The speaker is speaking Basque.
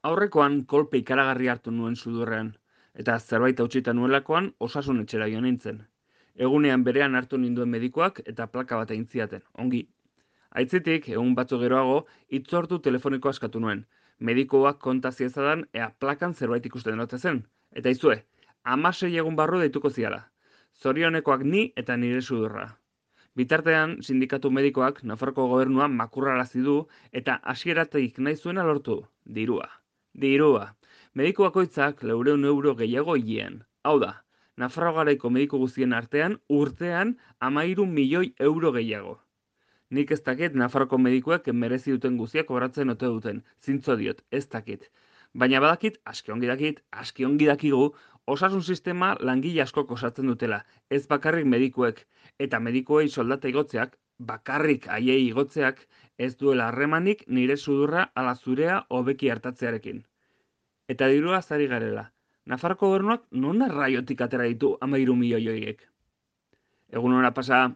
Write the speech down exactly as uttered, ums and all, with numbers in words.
Aurrekoan kolpe ikaragarri hartu nuen sudurrean, eta zerbait hautsita nuelakoan osasun etxera jo nintzen. Egunean berean hartu ninduen medikuak eta plaka bat egin zidaten, ongi. Aitzitik, egun batzuk geroago, hitzordu telefoniko askatu nuen. Medikuak konta ziezadan ea plakan zerbait ikusten ote zen. Eta izue, hamasei egun barru deituko ziala. Zorionekoak ni eta nire sudurra. Bitartean, sindikatu medikoak Nafarroko gobernua makurrarazi du eta hasieratik nahi zuena lortu. Dirua. Dirua. Mediku bakoitzak laurehun euro gehiago hilean. Hau da, Nafarro garaiko mediku guztien artean urtean hamairu milioi euro gehiago. Nik ez dakit Nafarroko medikuek merezi duten guztiak kobratzen ote duten. Zintzo diot, ez dakit. Baina badakit, aski ongi dakit, aski ongi dakigu, osasun sistema langile askok osatzen dutela, ez bakarrik medikuek, eta medikuei soldata igotzeak, bakarrik haiei igotzeak, ez duela harremanik nire sudurra ala zurea hobeki hartatzearekin. Eta dirua zari garela. Nafarroko gobernuak non arraiotik atera ditu hamairu milioi horiek? Egun hona pasa,